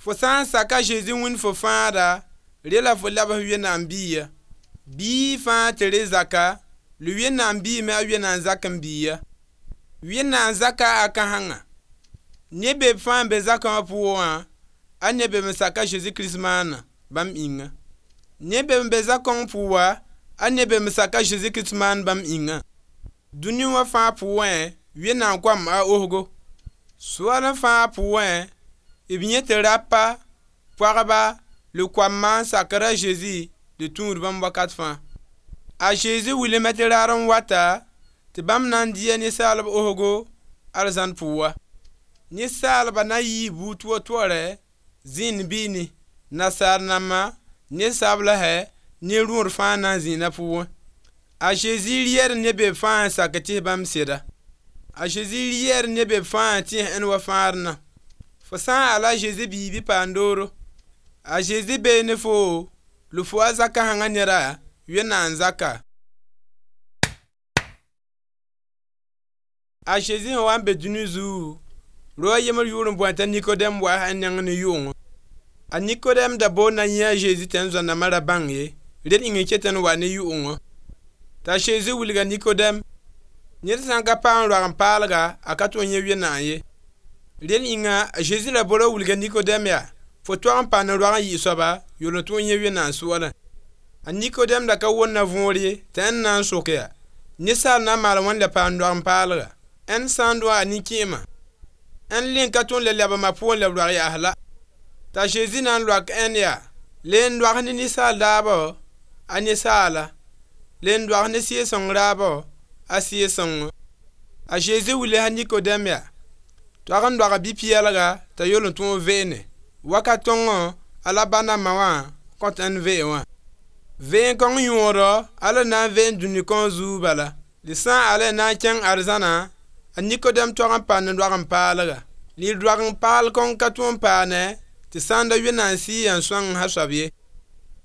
Fo sã n sak a Zezi Wẽnd fo fãada, re la fo labs Wẽnnaam biiga. Biig fãa tɩ re zaka, la Wẽnnaam biime a Wẽnnaam zak n biiga. Wẽnnaam zaka a kãsengã. Neb be b fãa n be zakã wã pʋgẽ wã, a neb be n sak a Zezi Kirist maana bãmb ĩnga. Neb be n be zakõng pʋga, a neb be n sak a Zezi Kirist maan bãmb ĩnga. Dũni wã fãa pʋgẽ, Wẽnnaam koam a osgo. Soaalẽ fãa pʋgẽ, b yẽ tɩ rapa, pagba, la koamma n sakr a Zezi la tũud bãmb wakat fãa. A Zezi wilsme tɩ raar n wata tɩ bãmb na n dɩ a ninsaalb osgo arzãn pʋga. Ninsaalba na yɩɩ buud toor-toorɛ zĩnd biini, nasaar namba, ned-sablsɛ, ne rõor fãa na n zĩna pʋgẽ. A Zezi rɩɛd ne be fãa n sak tɩs bãmb sɩda. A Zezi rɩɛd ne be fãa n tẽs ẽnd wa fãadna. Fo sã n ala a Zezi biig bɩ paam dooro. A Zezi bee ne foo, la fo a zakãsengã neda, Wẽnnaam zaka. A Zezi sẽn wa n be dũni zugu, rao a yembr yʋʋr n boe t'a Nikodɛm wa a neng ne yʋ'ʋngɔ. A Nikodɛm da boond na yẽ a Zezi tɩ n zoa-nambã ra bãng ye, rel ĩng n ket n wa ne yʋ'ʋngɔ. T'a Zezi wilga Nikodɛm, ned sã n ka paam roag-n-paalga, a ka tõe n yẽ Wẽnnaam ye. Rel ĩnga a Zezi ra bora wilga Nikodɛm yaa, fo tog n pa ne roag n yɩ soaba yol n tõe n yẽ Wẽnnaam soalẽ. A Nikodɛm da ka wʋnna võor ye tɩ ẽnd na n sok yaa, ninsaal na n maal wãn la paam roag-n-paalga? Ẽnd sã n dʋ a nin-kẽema, ẽnd leng ka tõe n le leb ma pʋgẽ la b roag yaas la. T'a Zezi na n loak ẽnd yaa, le n doag ne ninsaal daabo, a ninsaala, le n doag ne Sɩɩg-sõng raabo, a Sɩɩg-sõngo. A Zezi wilsa Nikodɛm yaa, tog n doag bi-pɛɛlga t'a yol n tõog veene. Wakat tõngõ a la ba na ma wã kõt ẽnd vee wã. Veen-kõng yõodɔ ala na n veen dũni kõn zuug bala. La sã n ala na n kẽng arzãna, a Nikodɛm tog n pa ne roag-n-paalga. Lɩ roag-n-paal kõng ka tõe n paane tɩ sã n da Wẽnnaam Sɩɩgã n sõng a soab ye.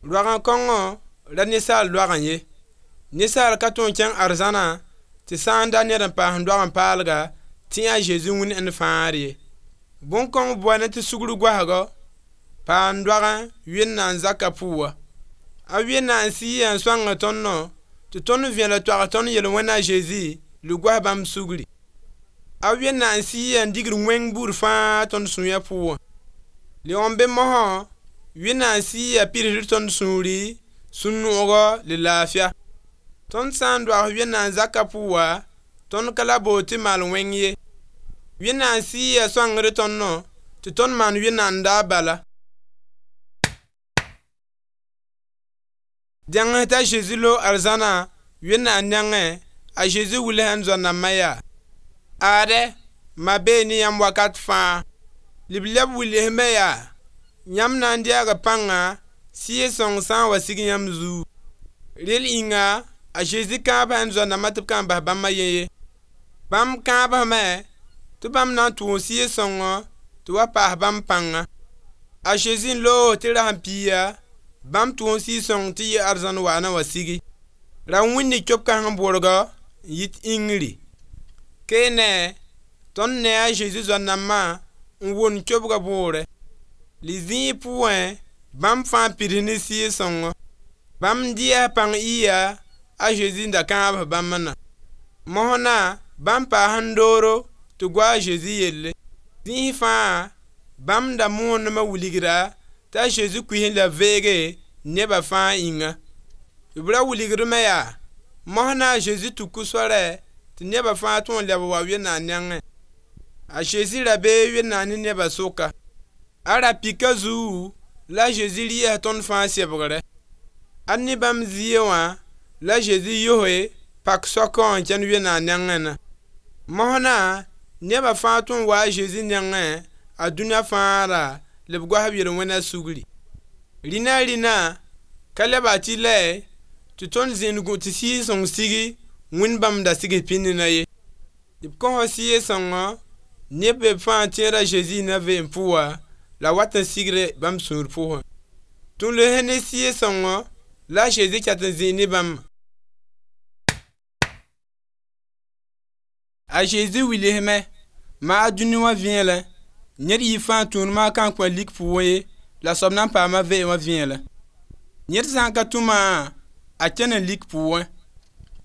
Roag-n-kõngõ ra ninsaal doagẽ ye. Ninsaal ka tõe n kẽng arzãna tɩ sã n da ned n paas roag-n-paalga tɩ a Zezi wĩnd ẽnd fãagr ye. Bõn-kõng boane tɩ sugr goasgɔ, paam doagẽ Wẽnnaam zaka pʋga. A Wẽnnaam Sɩɩgã n sõng tõndõ tɩ tõnd vẽelg toags tõnd yel-wẽna a Zezi la goas bãmb sugri. A Wẽnnaam Sɩɩgã n digd wẽng buud fãa tõnd sũyã pʋgẽ. Lɩg n be mosã, Wẽnnaam Sɩɩgã pidsd tõnd sũuri, sũ-noogɔ la laafɩa. Tõnd sã n doags Wẽnnaam zaka pʋga, tõnd ka la bood tɩ maal wẽng ye. Wẽnnaam Sɩɩgã sõngd tõndõ tɩ tõnd maan Wẽnnaam daab bala. Dẽng t'a Zezi loog arzãna Wẽnnaam nengẽ, a Zezi wilsã n zoa-nambã yaa: Aadɛ, ma bee ne yãmb wakat fãa. La b leb wilsme yaa, yãmb na n deega pãnga Sɩɩg-sõng sã n wa sig yãmb zugu. Rel ĩnga a Zezi kãabsã n zoa-nambã tɩ b ka n bas bãmb a yen ye. Bãmb kãabsme tɩ bãmb na n tʋʋm Sɩɩg-sõngõ tɩ wa paas bãmb pãnga. A Zezi n loog tɩ rasem piiga, bãmb tʋʋm Sɩɩg-sõng tɩ yɩ arzãn waana wa sigi. Ra wĩnni cob-kãseng bʋrgɔ n yit yĩngri. Keene tõnd ne a Zezi zoa-nambã n wʋnd cobga bʋʋrɛ. La zĩig pʋgẽ bãmb fãa pids ne Sɩɩg-sõngo. Bãmb dɩa pãng ɩya a Zezi n da kãabs bãmb na. Mosna bãmb paas n dooro tɩ goa a Zezi yelle. Zĩis fãa bãmb da moondme wilgda t'a Zezi kuis la veege neba fãa ĩnga. B ra wilgdme yaa, mosna a Zezi tuku soarɛ tɩ neba fãa tõe n leb wa Wẽnnaam nengẽ. A Zezi ra bee Wẽnnaam ne neba sʋka. A ra pika zugu la a Zezi rɩɩs tõnd fãa sebgrɛ. A ne bãmb zie wã la Zezi yoe pak soakã n kẽnd Wẽnnaam nengẽ na. Mosna neba fãa tõe n wa a Zezi nengẽ a dũniyã fãada la b goas b yel-wẽna sugri. Rĩna rĩna ka leba tɩ lɛ tɩ tõnd zĩnd gũ tɩ Sɩɩg-sõng sigi wĩnd bãmb da sigs pĩndna ye. B kõs Sɩɩg-sõngõ neb be fãa tẽeda Zezi na veem pʋga la wat n sigre bãmb sũur pʋgẽ. Tũ-los ne Sɩɩg-sõngõ la a Zezi ket n zĩig ne bãmb. A Zezi wilsme maa dũni wã vẽelẽ. Ned yɩ fãa tũud ma kan kõ lik pʋgẽ ye, la soab na n paama veem wã vẽelẽ. Ned sã n ka tũ maã, a kẽne lik pʋgẽ.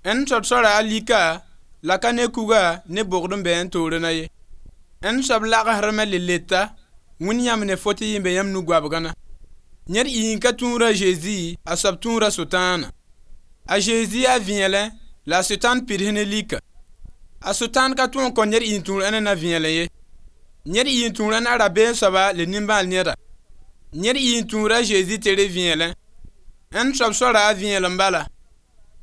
Ẽnd soab soara a lika la ka ne kuga ne bogd n be ẽn toorẽ na ye. Ẽnd soab lagsdme le leta, Wẽnd yãmb ne fo tɩ yẽ be yãmb nu-goabgã na. Ned yɩ n ka tũud a Zezi, a soab tũuda Sʋtãana. A Zezi yaa vẽelẽ la a Sʋtãan pids ne lika. A Sʋtãan ka tõe n kõ ned n tũud ãnna na vẽelẽ ye. Ned y n tũud ãnna rabeem soaba le nimbãal neda. Ned y n tũud a Zezi tere vẽelẽ. Ãnd soab soara a vẽelem bala.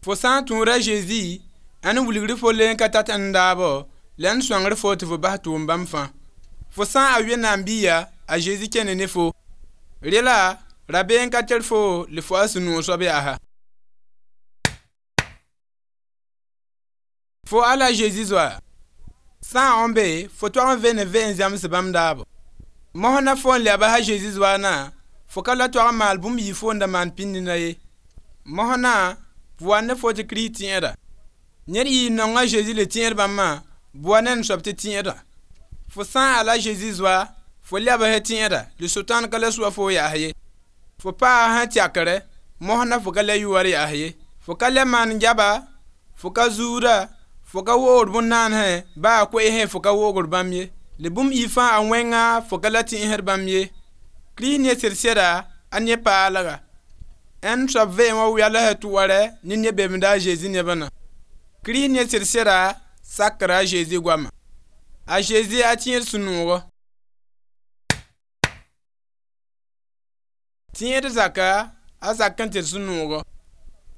Fo sã n tũud a Zezi, ãn wilgr fo le n ka tat n daabo, la n sõangr fo tɩ fo bas tʋʋm bãmb fãa. Fo sã n a Wẽnnaam biiga, a Zezi kẽne ne fo. Rela rabeem ka tar fo le fo a sũ-noog soab yaa. Fo ala Zezi zoa. Sã n be fo toag n vene ve n zãms bãmb daabo. Mos na fo n lɛba a Zezi zoa na, fo ka la toag n maal bũmb yɩ fo n da maan pĩnd na ye. Mos na bʋa ne fo tɩ Kirist tẽeda. Ned yɩ n nong a Zezi le tẽed bãmbã, bʋa ne n soab tɩ tẽeda. Fo sã n ala Zezi zoa, fo lɛbs tẽeda, le Sʋtãan ka la sʋa fo yaas ye. Fo paa sã tɛkre, mos na fo ka le yʋɔr yaas ye. Fo ka le maan gaba, fo ka zuuda, fo ka woogr bõn-naanẽ, baa koeesẽ fo ka woogr bãmb ye. Le bũmb yɩ fãa a wẽnga fo ka la tẽesd bãmb ye. Kirist ne sɩd-sɩda a ne paalga. Ẽnd soab veem wã wɛls tʋʋrɛ ne neb bemda a Zezi nebã na. Kirist ne sɩd-sɩda sakra a Zezi goama. A Zezi a tẽed sũ-noogɔ. Tẽed zaka a zak n tɩ sũ-noogɔ.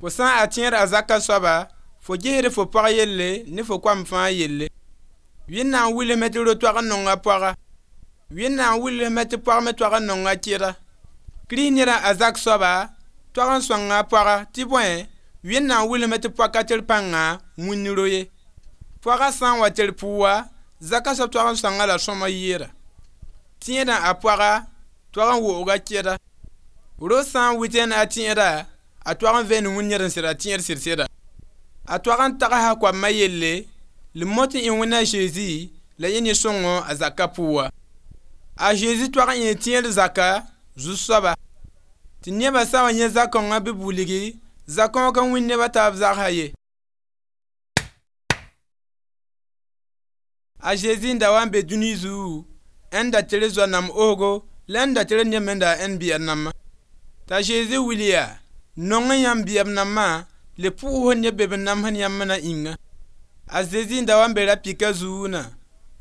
Fo sã n a tẽed a zaka soaba, fo gesd fo pɔg yelle ne fo koam fãa yelle. Wẽnnaam wilsme tɩ ro-toag n nong a pɔga. Wẽnnaam wilsme tɩ pɔg me toag n nong a kɩda. Kirist ned a zak soaba toag n sõng a pɔga tɩ bõe, Wẽnnaam wilsme tɩ pɔg ka tar pãnga wĩnd ro ye. Pɔga sã n wa tar pʋʋga, zaka soab toag n sõnga la sõma yɩɩda. Tẽedã a pɔga toag n woog a kɩda. Ro sã n wɩtẽ a tẽeda, a toag n veen wĩnd ned n sɩda tẽed sɩd-sɩda. A toag n tagsa koamã yelle, le mot n ẽ Wẽnd a Zezi la yẽ ne sõngo a zaka pʋʋga. A Zezi toag n ẽ tẽed zaka zu-soaba. Tɩ nebã sã wa yẽ zakõngã bɩ b wilgi, zakõog ka wĩnd nebã taab zagsã ye. A Zezi n da wa n be dũni zugu, ẽn da tere zoa-nam osgo la ẽn da tere neb me n da ẽn bɩɛb nambã. T'a Zezi wil yaa, nong yãmb bɩɛb nambã le pʋʋs neb be b namsd yãmb na ĩnga. A Zezi n da wa n be ra-pika zugu na,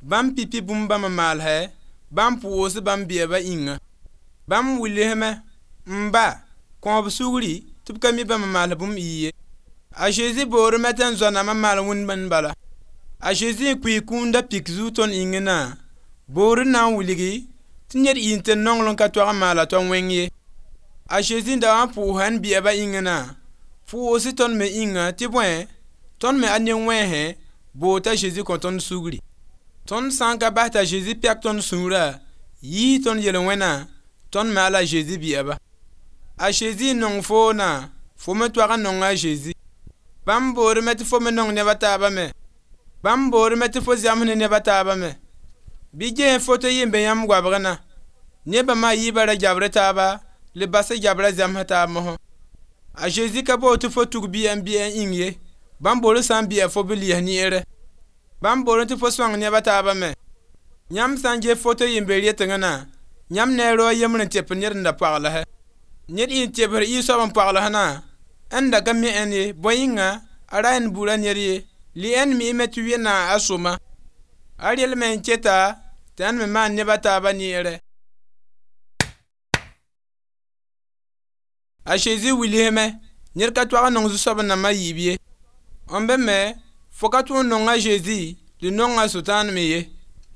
bãmb pipi bũmb bãmb n maalsɛ, bãmb pʋʋs bãmb bɩɛba ĩnga. Bãmb wilsme n ba kõ b sugri tɩ b ka mi bãmb n maals bũmb yɩ ye. A Zezi boorame tɩ n zoa-namã maal wĩnd bãmb bala. A Zezi n kuii kũunda pik zug tõnd ĩngẽ na, boor n na n wilgi tɩ ned yɩ n tɩ nonglem ka toag n maala tao wẽng ye. A Zezi n da wa n pʋʋsa n bɩɛba ĩngẽ na, pʋʋs tõnd me ĩnga tɩ bõe, tõnd me a ne-wẽnsẽ boor t'a Zezi kõ tõnd sugri. Tõnd sã n ka bas t'a Zezi pɛk tõnd sũurã, yiis tõnd yel-wẽna, tõnd me a la Zezi bɩɛba. A Zezi n nong foo na, fo me toag n nonga a Zezi. Bãmb boorame tɩ fo me nong neb a taabã me. Bãmb boorame tɩ fo zãms ne neb a taabã me. Bɩ ges foto yɩ n be yãmb goabgã na. Nebã maa yiibã ra gabr taaba, le bas gabra zãms taab mosã. A Zezi ka boor tɩ fo tug bɩa n bɩa n ĩng ye. Bãmb boor sã n bɩa fo bɩ lɩɩs neere. Bãmb boor tɩ fo sõng neb a taabã me. Yãmb sã n ges foto yɩ n be retengã na, yãmb ne a rao a yembr n tep ned n da pɔglsɛ. Ned y n tebsd y soab n pɔgls na, ẽn da ka mi ẽnd ye, bõe yĩnga a ra ẽnd buda ned ye. Le ẽnd miime tɩ Wẽnnaam a sõma. A relme n keta tɩ ẽnd me maan neb a taabã neere. A Zezi wilsme ned ka toag n nong zu-soab nambã yiib ye. N be me fo ka tõe n nong a Zezi le nong a Sʋtãan me ye.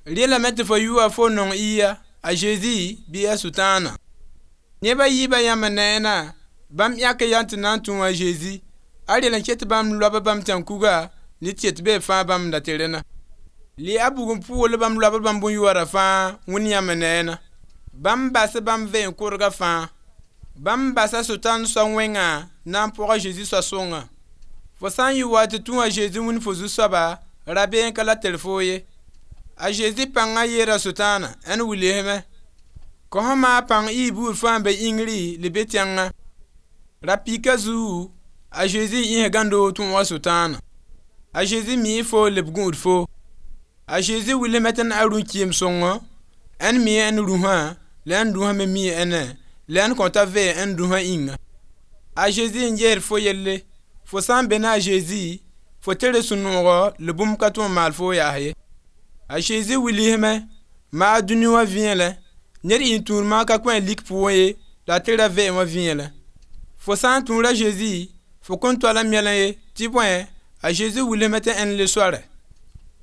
Relame tɩ fo yʋa fo nong ɩya a Zezi bɩ a Sʋtãana. Nebã yiibã yãmb neena, bãmb yãk yaa tɩ na n tũ a Zezi. A rel n ket tɩ bãmb loab bãmb tãn-kuga ne tɩ tɩ bee fãa bãmb da tere na. Le a bugum pʋʋl bãmb loab bãmb bõn-yoada fãa wẽnd yãmb neena. Bãmb bas bãmb veem kʋrga fãa. Bãmb basa Sʋtãan soa wẽnga na n pʋg a Zezi soa sõnga. Fo sã n yɩ wa tɩ tũ a Zezi wĩnd fo zu-soaba, rabeem ka la tar foo ye. A Zezi pãngã yeera Sʋtãana ãn wilsme. Kõ maa pãng y buud fãa n be yĩngri la be tẽngã. Ra-pika zugu a Zezi yĩs gãndo tõog Sʋtãana. A Zezi mii foo la b gũud foo. A Zezi wilsme tɩ n a rũ-kɩɩm sõngo, ãn mi ãn rũsã la ãn rũsã me mii ãnna la ãn kõta vee ãn rũsã yĩnga. A Zezi n gesd fo yelle, fo sã n be ne a Zezi, fo tere sũ-noogo la bũmb ka tõe n maal fo yaas ye. A Zezi wilsme maa dũni wã vẽelẽ, ned n tũud maa ka kõ a lik pʋgẽ ye la a tera vɛɛm wã vẽelẽ. Fo sã n tũud a Zezi, fo kõn tol n melẽ ye tɩ bõe a Zezi wilsme tɩ ãnd le soare.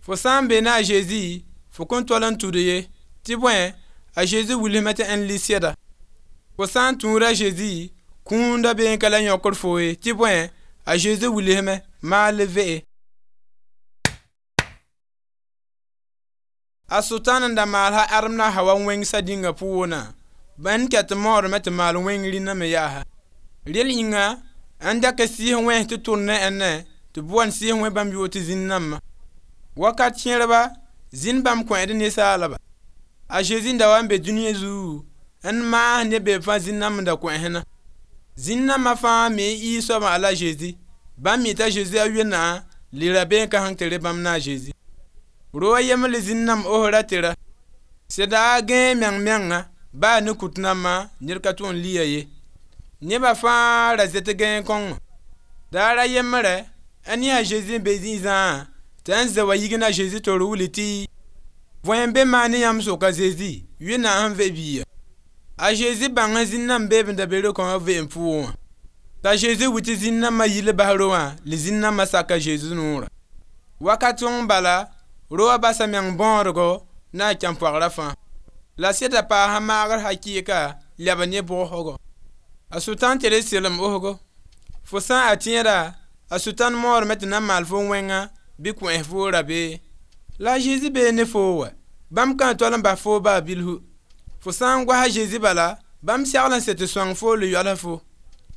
Fo sã n be ne a Zezi, fo kõn tol n tud ye tɩ bõe a Zezi wilsme tɩ ãnd le sɛda. Fo sã n tũud a Zezi, kũunda bee n ka la yõkd fo ye tɩ bõe a Zezi wilsme maa le ve'e. A Sʋtãan n da maal sã Adem la Hawa wẽngsa dĩnga pʋʋnã, bãnd ket n maoodame tɩ maal wẽng rĩnã me yaasa. Rel yĩnga ãn dak sɩɩs wẽns tɩ tʋr ne ãnna tɩ b wa n sɩɩs wẽ bãmb yʋʋr tɩ zĩn-nambã. Wakat kẽerba zĩnd bãmb kõed ninsaalba. A Zezi n da wa n be dũniyã zugu n maas ne be fãa zĩn-namba n da kõesẽna. Zĩn-nambã fãa me y soabã ala Zezi. Bãmb mi t'a Zezi a wẽnnaam le rabeem ka sẽn tere bãmb na a Zezi. Ro a yembr le zĩn-nãmb osra tɩra. Sẽda gãe meng menga baa ne kut nambã ned ka tõe n lia ye. Nebã fãa ra zet gãe kõngo. Daara yembre a ne a Zezi n be zĩ-zãã tɩ ãn zã wa yig na Zezi tor wilg tɩ võe n be maa ne yãmb sʋka Zezi Wẽnnaam sẽn ve biiga. A Zezi bãng zĩn-nãmb beeb n da be ro-kãngã veem pʋgẽ wã. T'a Zezi wi tɩ zĩn-nambã yil bas ro wã la zĩn-nambã saka Zezi noorã. Wakat sõng bala ro wã basa meng bõodgo na a kãn-poagrã fãa. La sẽda paasã maagr hakɩɩka lɛb ne bʋgsgo. A Sʋtãan tere selem osgo. Fo sã n a tẽeda a Sʋtãan moodame tɩ na n maal fo wẽnga bɩ kões fo rabee. La a Zezi bee ne foo wa, bãmb ka n tol n bas foo baa bilfu. Fo sã n goasa Zezi bala, bãmb segl n set sõng foo la yoals fo.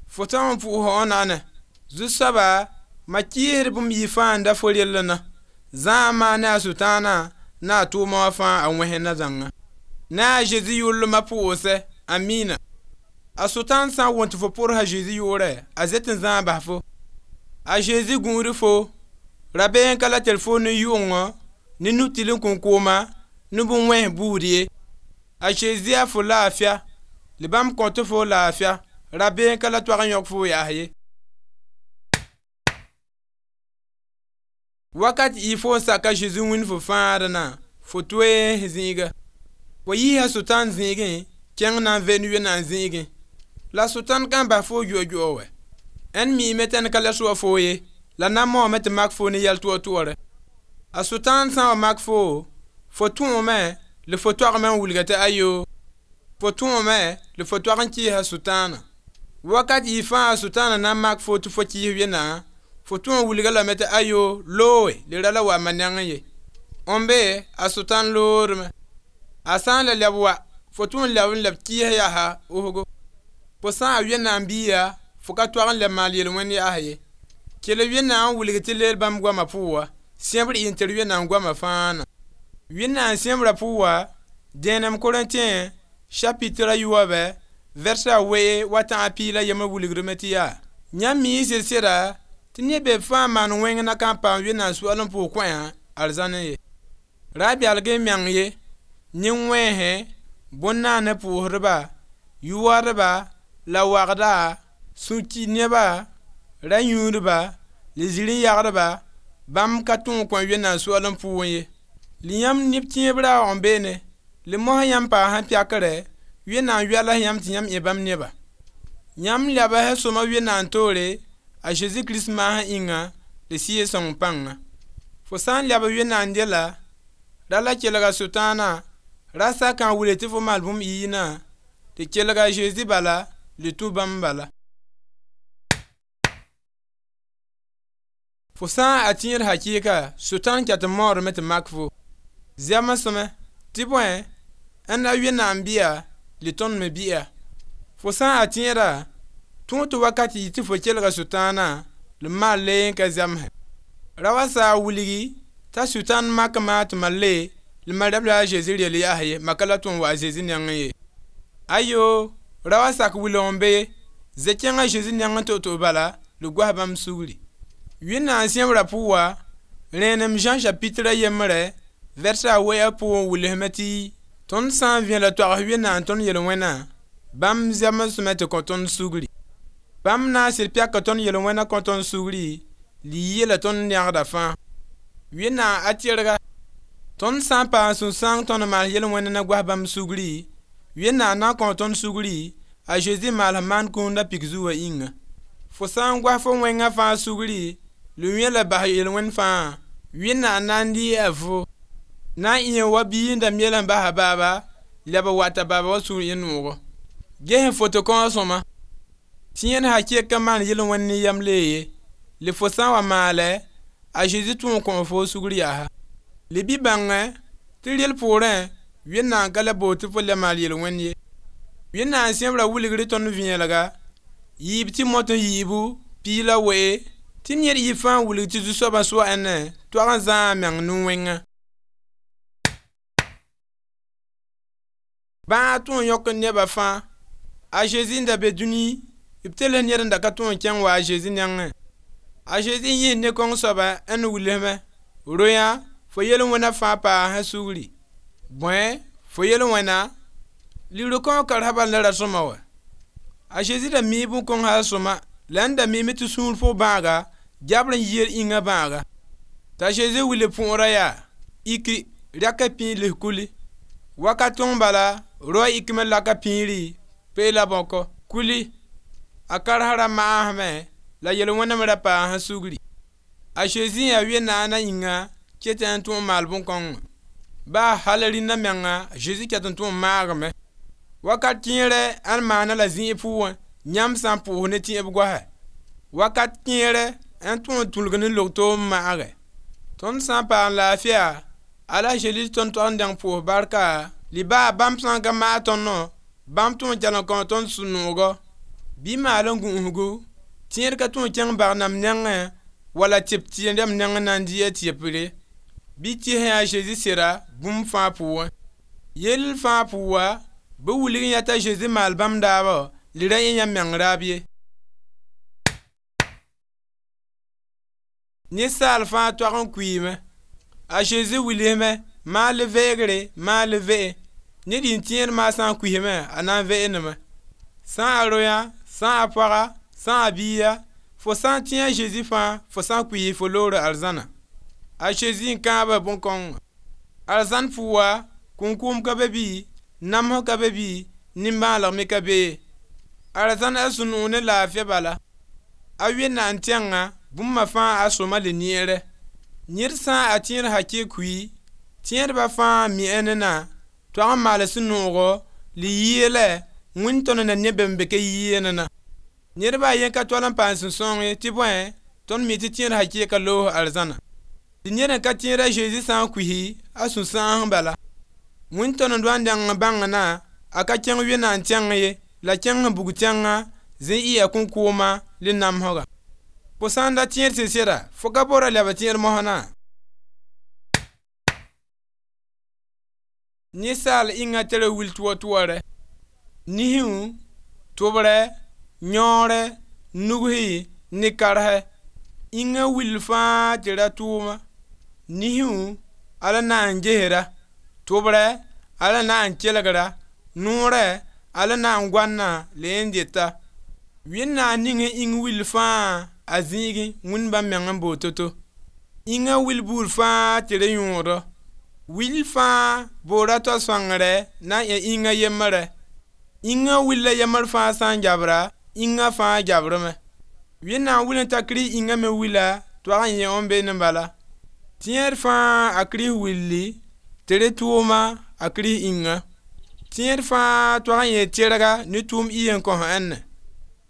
Fo tõog n pʋʋs wãnaana. Zu-soaba ma kɩɩsd bũmb yɩ fãa n da fo rellna. Zãa maa ne a Sʋtãanã na a tʋʋma wã fãa a wẽsna zãnga. Ne a Zezi yʋllmã pʋʋsɛ, amina. A Sʋtãan sã n wõm tɩ fo pʋrsa Zezi yʋʋrɛ, a zet n zãag bas fo. A Zezi gũud fo, rabeem ka la tar fo ne yʋʋngõ, ne nu-tɩl n kõn-kooma, ne bũn-wẽns buud ye. A Zezi yaa fo laafɩa, la bãmb kõt fo laafɩa, rabeem ka la toag n yõk fo yaas ye. Wakat y fo n saka Zezi wĩnd fo fãadnã, fo toe zĩiga. Fo yiisa Sʋtãan zĩigẽ, kẽng na n vend Wẽnnaam zĩigẽ. La Sʋtãan ka n bas fo yoa-yoa wɛ. Ãnd miime tɩ ãnd ka la soa foo ye, la na n maoome tɩ mak fo ne yɛl toor-toore. A Sʋtãan sã n wa mak foo, fo tõome la fo toagme n wilga tɩ ayo. Fo tõome la fo toag n kɩɩsa Sʋtãanã. Wakat y fãa Sʋtãanã na n mak fo tɩ fo kɩɩs Wẽnnaam, fo tõe n wilga lame tɩ ayo looe le ra la wa ma nengẽ ye. N be a Sʋtãan loodme. A sã n la lɛb wa, fo tõe n lɛb n lɛb kɩɩs yaasa osgo. Fo sã n a Wẽnnaam biiga, fo ka toag n lɛb maal yel-wẽnd yaas ye. Kell Wẽnnaam n wilg tɩ leel bãmb goamã pʋga, sẽbr y n tar Wẽnnaam goamã fãa na. Wẽnnaam sẽbrã pʋga, dẽenem Korẽntẽ chapitre a yooobe verset a wee wa tã a piig la yembr wilgdme tɩ yaa: yãmb mi sɩd-sɩda tɩ ned be fãa maan wẽng na ka n paam Wẽnnaam soaalem pʋg kõa arzãnẽ ye. Ra belg n meng ye, nin-wẽnsẽ, bõn-naanã pʋʋsdba, yʋwadba la wagda, sũ-ki neba, ra-yũudba, la zĩr-n-yagdba, bãmb ka tõe n kõ Wẽnnaam soaalem pʋgẽ ye. La yãmb neb tẽeb raoog n beene, la mosã yãmb paasã pɛkrɛ, Wẽnnaam yoals yãmb tɩ yãmb ẽ bãmb neba. Yãmb lebs sõma Wẽnnaam toore a Zezi Kirist maasã yĩnga la Sɩɩg-sõng pãnga. Fo sã n leb Wẽnnaam dela, ra la kelga Sʋtãanã, ra sakã n wilg tɩ fo maal bũmb yɩɩnã, tɩ kelga a Zezi bala la tũ bãmb bala. Fo sã n a tẽed hakɩɩka, Sʋtãan ket n maoodame tɩ mak fo. Zɛm sõme tɩ bõe ãnna Wẽnnaam bɩa la tõnd me bɩa. Fo sã n a tẽeda, tõog tɩ wakat yɩ tɩ fo kelga Sʋtãanã la maal le n ka zɛmsẽ. Ra wa saa wilgi t'a Sʋtãan mak maa tɩ ma le La Mariam la a Zezi reel yaa ye maka la tõe n wa a Zezi nengẽ ye. Ayo, rao sak wilg n be ye, ze kẽng a Zezi nengẽ to'oto'o bala la goas bãmb sugri. Wẽnnaam sẽbra pʋga, rẽenem Zã chapitre a yembre vɛrsa a wɛ pʋgẽ wilsme tɩ tõnd sã n vẽela toags Wẽnnaam tõnd yel-wẽnã, bãmb zemsme tɩ kõ tõnd sugri. Bãmb na n sɩd pɛka tõnd yel-wẽna kõ tõnd sugri, li yeela tõnd rẽgda fãa. Wẽnnaam a tɩrga, tõnd sã n paam sũ-sãoong tõnd maas yel-wẽnd na goas bãmb sugri, Wẽnnaam na n kõ tõnd sugri, a Zezi maals maan kũunda pik zugã yĩnga. Fo sã n goas fo wẽngã fãa sugri, la wẽ la bas yel-wẽnd fãa, Wẽnnaam na n dɩɩ a fo, na n ɩẽ wa bia n da miel n bas a baaba, leb n wat a baaba wã sũur yẽ noogo. Ges n foto kõo sõma. Tẽed hakɩk n maan yel-wẽnd ne yam lee ye, la fo sã n wa maale, a Zezi tõe n kõ fo sugr yaa. Le bɩ bãngẽ tɩ rel poorẽ Wẽnnaam ka le bool tɩ fo le maal yel-wẽnd ye. Wẽnnaam sẽbra wilgr tõnd vẽelega, yiib tɩ mot n yiibu piig la wee, tɩ ned yɩ fãa wilg tɩ zu-soabã soa ãnna toag n zãa a meng nin-wẽngã. Bãag tõe n yõk nebã fãa. A Zezi n da be dũni, b tels ned n da ka tõe n kẽng wa a Zezi nengẽ. A Zezi yĩs ne kõng soaba n wilsme, royã fo yel-wẽna fãa paasã sugri. Bõe, fo yel-wẽna, ligr kõo karsã bal la ra sõma wa. A Zezi da mii bũn-kõng hal sõma, la n da miime tɩ sũur pʋg bãaga, gɛbr n yiir ĩngã bãaga. T'a Zezi wilg põora yaa, iki rɛka pĩig lis kuli. Wakat tõng bala, roa ikme laka pĩiri, pee la bõkɔ, kuli. A karsã ra maasme la yel-wẽname ra paasã sugri. A Zezi yaa Wẽnnaam na yĩnga ket n tõe n maal bũn-kõngã. Baa hal rĩndã menga Zezi ket n tõe n maagame. Wakat kẽere ãn maana la zĩig pʋgẽ, yãmb sã n pʋʋs ne tẽeb goasa. Wakat kẽere n tõe n tũlg ne log-toom maage. Tõnd sã n paam laafɩa, ala Zezi tõnd tog n dẽng pʋʋs barka, li baa bãmb sã n ka maag tõndõ, bãmb tõe n kell n kõ tõnd sũ-noogo. Bɩ maal n gũusgu, tẽed ka tõe n kẽng bag-nãmb nengẽ wala tɩp tɩ-rãmb nengẽ na n dɩ a tɩpre. Bɩ tɩ sẽn yaa Zezi sɩda bũmb fãa pʋgẽ. Yell fãa pʋga, bɩ wilg yã t'a Zezi maal bãmb daabã, li ra yẽ yãmb meng raab ye. Ninsaal fãa toag n kuiime. A Zezi wilsme, maa le veegre, maa le ve'e. Ned yĩn tẽed maa sã n kuisme, a na n ve'eneme. Sã a royã, sã a pɔga, sã a bia, fo sã n tẽ a Zezi fãa, fo sã n kuis fo loor arzãna. A Zezi n kãaba bũn-kõngã. Arzãn pʋga, kũnkũum ka be bɩ, namsg ka be bɩ, nimbãaneg me ka be ye. Arzãn a sũ-noog ne laafɩ bala. A Wẽnnaam tẽngã, bũmba fãa a sõma le neere. Ned sã a tẽed hakɩ kui, tẽedbã fãa mi ne na, toag n maal sũ-noogo, li yeelɛ wẽnd tõnd na ne bãmb be ka yɩɩ ne na. Ned baa yen ka tol n paam sũ-sãoong ye tɩ bõe, tõnd mi tɩ tẽed hakɩ loos arzãna. Tɩ ned n ka tẽed a Zezi sã n kuisi, a sũ-sãoong bala. Wẽnd tõnd n doa n dẽng n bãng na, a ka kẽng Wẽnnaam tẽng ye, la kẽng n bug tẽngã, zĩ ɩ a kũnkʋʋma le namsga. Fo sã n da tẽed sɩd-sɩda, fo ka bora lɛb tẽed mosnã. Ninsaal ĩngã tara wil tʋa-tʋarɛ. Nisu, tʋbrɛ, yõore, nugsi ne karsɛ. Ĩngã wil fãa tɩ ra tʋʋma. Nisu, ala na n gesra, tʋbrɛ, ala na n kelgra, noorɛ, ala na n goanna la yẽ dɩta. Wẽnnaam ning ĩng wil fãa a zĩigẽ wĩnd bãmb meng n bool to-to. Ĩngã wil buud fãa tɩ ra yõodɔ. Wil fãa boora taoa-sõangrɛ na n ẽ ĩngã yembrɛ. Ĩngã wil la yembr fãa sã n gabra, ĩngã fãa gabrame. Wẽnnaam wil n ta Kirist ĩngã me wila toag n yẽ n be ne bala. Tẽed fãa a Kirist willi, tɩ rẽ tʋʋma a Kirist ĩngã. Tẽed fãa toag n yẽ tɩrga ne tʋʋm y n kõs ãnna.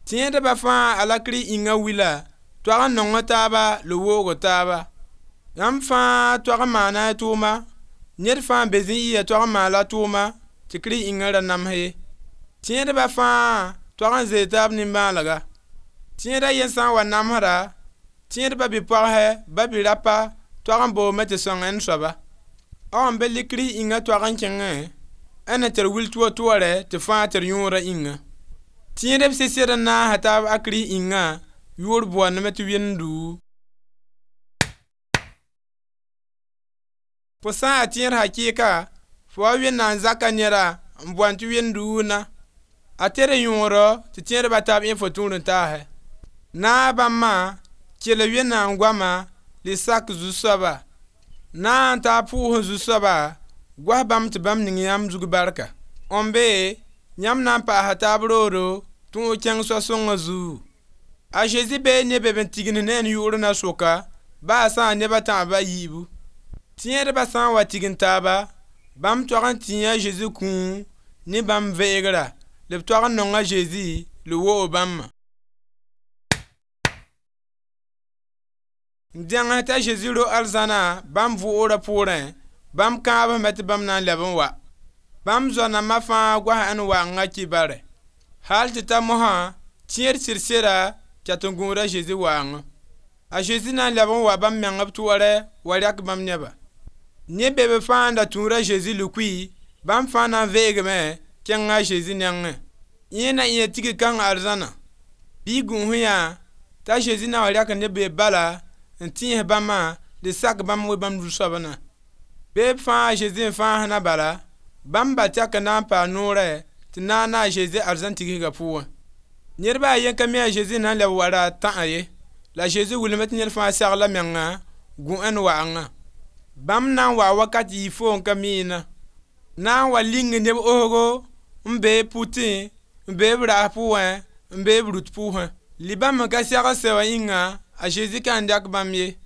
Tẽedbã fãa ala Kirist ĩngã wila, toag n nong taaba la woog taaba. Yãmb fãa toag n maana a tʋʋma, ned fãa n be zĩ y toag n maala tʋʋma tɩ Kirist ĩngã ra nams ye. Tẽedbã fãa toag n zee taab nimbãanega. Tẽeda yen sã n wa namsda, tẽedbã bi-pɔgsɛ ba bi-rapa toag n boome tɩ sõng ãnd soaba. A wã be likri ĩngã toag n kẽngẽ a na tar wil toor-toorɛ tɩ fãa tar yõorã ĩnga. Tẽedb sɩd n naasa taab a Kirist ĩngã yʋʋr boondame tɩ wẽnd-duu. Fo sã n yaa tẽed hakɩɩka, fo wa Wẽnnaam zaka neda n boand tɩ wẽnd-duusna. A tere yõodɔ tɩ tẽedba taab ẽ fo tũud-n-taasɛ. Naag bãmbã kell Wẽnnaam goama le sak zu-soaba. Na n taa pʋʋs zu-soaba goas bãmb tɩ bãmb ning yãmb zug barka. N be yãmb na n paasa taab roodo tõog kẽng soa-sõngã zugu. A Zezi bee ne be b n tigimd ne n yʋʋr na soka baa sã n neb a tãab a yiibu. Tẽedba sã n wa tigim taaba, bãmb toag n tĩi a Zezi kũum ne bãmb veegra, la b toag n nong a Zezi la woog bãmbã. N dẽng t'a Zezi ro arzãna bãmb vʋʋgrã pʋʋrẽ, bãmb kãabsme tɩ bãmb na n leb n wa. Bãmb zoa-nambã fãa goasa n waanga kibare. Hal tɩ ta mosã tẽed sɩd-sɩda ket n gũuda a Zezi waangã. A Zezi na n leb n wa bãmb meng b toorɛ wa rɛk bãmb nebã. Ne be b fãa n da tũud a Zezi lukui, bãmb fãa na n veegame kẽng a Zezi nengẽ. Yẽ na n tigr kãng arzãna. Bɩ gũus yã t'a Zezi na wa rɛk neb be bala n tẽes bãmbã le sak bãmb we bãmb zu-soabã. Beeb fãa a Zezi n fãasna bala, bãmb ba tɛk n na n paam noorɛ tɩ naag na a Zezi arzãn tigsgã pʋgẽ. Ned baa yen ka mi a Zezi na n leb wa ra tã'a ye, la Zezi wilgame tɩ ned fãa segl a menga gũ n waangã. Bãmb na n wa wakat yɩ fo n ka miina. Na n wa ling neb osgo n bee pʋtẽ, n bee b raas pʋgẽ, n bee b rut pʋʋsẽ. Li bãmb n ka segl se wã yĩnga, a Zezi ka n dɛk bãmb ye.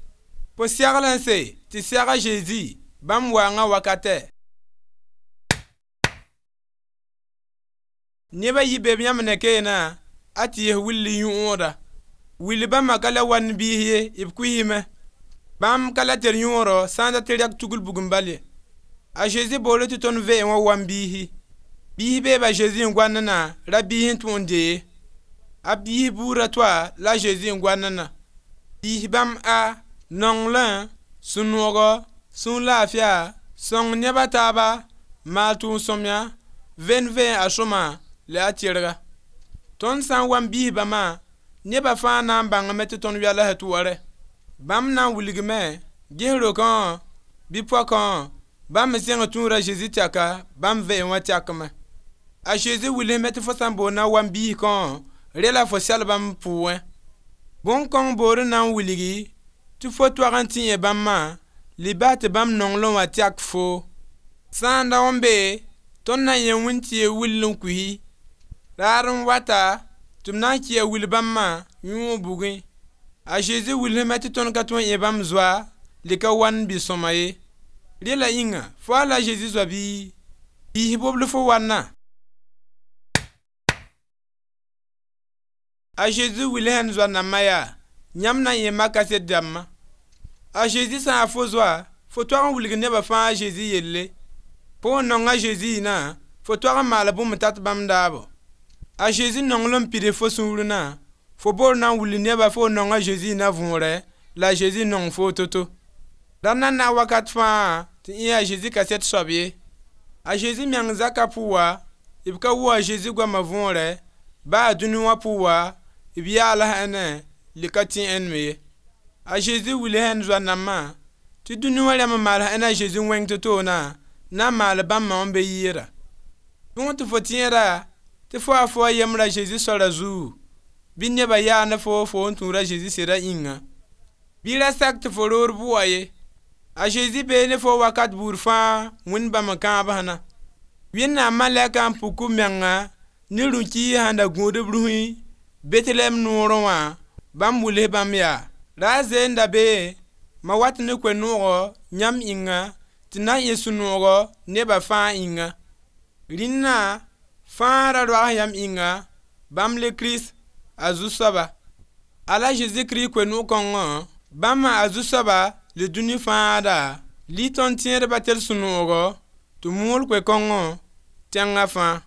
Fo segl n se tɩ seg a Zezi bãmb waangã wakatɛ. Neba yi be b yãmb ne keena a tɩ yes will yõoda. Will bãmba ka la wan biis ye, b kuisime. Bãmb ka la tar yõodɔ sã n dat rɛk tugl bugum bal ye. A Zezi boore tɩ tõnd veem wã wan biisi. Biis beeba Zezi n goand na ra biis n tõe n dee. A biis buudã toa la a Zezi n goand na. Biis bãmb a nonglẽ, sũ-noogɔ, sũur laafɩa, sõng neb a taaba, maal tʋʋm-sõmyã, ven veen a sõma la a tɩrga. Tõnd sã n wa n biis bãmba, nebã fãa na n bãngame tɩ tõnd welsa toorɛ. Bãmb na n wilgame ges rokã bɩ poakã bãmb me sẽng tũuda Zezi tɛka bãmb veem wã tɛkme. A Zezi wilsme tɩ fo sã n boond na n wa n biis kõ re la fo sɛl bãmb pʋgẽ. Bõn-kõng boor n na n wilgi tɩ fo toag n tẽ bãmbã le bas tɩ bãmb nonglem wã tɛk foo. Sã n da n be tõnd na n yẽ wĩntie will n kuisi. Raar n wata tɩ b na n kɩa wil bãmbã yõog bugẽ. A Zezi wilsme tɩ tõnd ka tõe n ẽ bãmb zoa le ka wan bi-sõma ye. Rela yĩnga fo a la Zezi zoa bɩ biis bobl fo wanna. A Zezi wilsã n zoa-nambã yaa yãmb na n yẽ maka kaset dãmbã. A Zezi sã n yaa fo zoa, fo toag n wilg nebã fãa a Zezi yelle. Fo n nong a Zezi na, fo toag n maal bũmb tat bãmb daabo. A Zezi nonglem pids fo sũur na, fo boor na n wilg nebã fo nong a Zezi na võorɛ la a Zezi nong fo to-to. Ra na na wakat fãa tɩ ẽ yaa Zezi kaset soab ye. A Zezi meng zaka pʋga, b ka wʋ a Zezi goamã võorɛ, baa dũni wã pʋga, b yaala ne le ka tẽ me ye. A Zezi wilsã n zoa-nambã tɩ dũni wã rãmb n maal a Zezi wẽng to-to na na n maal bãmbã n be yɩɩra. Tõog tɩ fo tẽeda tɩ fo a fo a yembra Zezi soara zugu, bɩ nebã yaa ne fo fo n tũud a Zezi sɩda yĩnga. Bɩ ra sak tɩ fo roor bʋa ye. A Zezi bee ne fo wakat buud fãa wẽnd bãmb n kãabsna. Wẽnnaam malɛka n puk b menga ne rũ-kiis sẽn da gũud b rũsĩ Betlehɛm noorẽ wã bãmb wils bãmb yaa. Ra a zee n da bee ma wat ne koe-noogɔ yãmb ĩnga tɩ na n ẽ sũ-noogɔ nebã fãa ĩnga. Rĩnnã fãa ra roags yãmb ĩnga bãmb le Kirist a zu-soaba. Ala Zezi Kirist koe-noog kõngõ bãmb a zu-soaba le dũni fãada li tõnd tẽedbã tɩ d sũ-noogɔ tɩ mool koe-kõngõ tẽngã fãa.